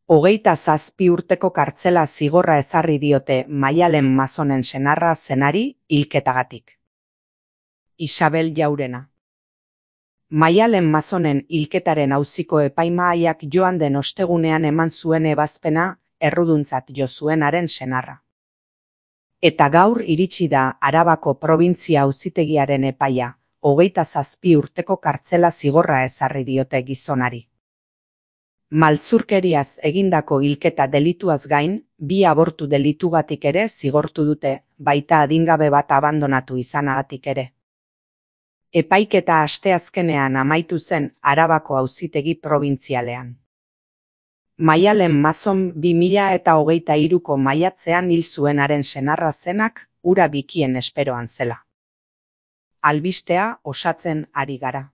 27 urteko kartzela zigorra ezarri diote Maialen Mazonen senarra zenari hilketagatik. Isabel Jaurena. Maialen Mazonen hilketaren auziko epaimahaiak joan den ostegunean eman zuen ebazpena erruduntzat jo zuenaren senarra. Eta gaur iritsi da Arabako probintzia auzitegiaren epaia, 27 urteko kartzela zigorra ezarri diote gizonari. Maltzurkeriaz egindako hilketa delituaz gain, 2 abortu delitugatik ere zigortu dute, baita adingabe bat abandonatu izanagatik ere. Epaiketa asteazkenean amaitu zen Arabako auzitegi probintzialean. Maialen Mazon 2023ko maiatzean hil zuenaren senarra zenak hura bikien esperoan zela. Albistea osatzen ari gara.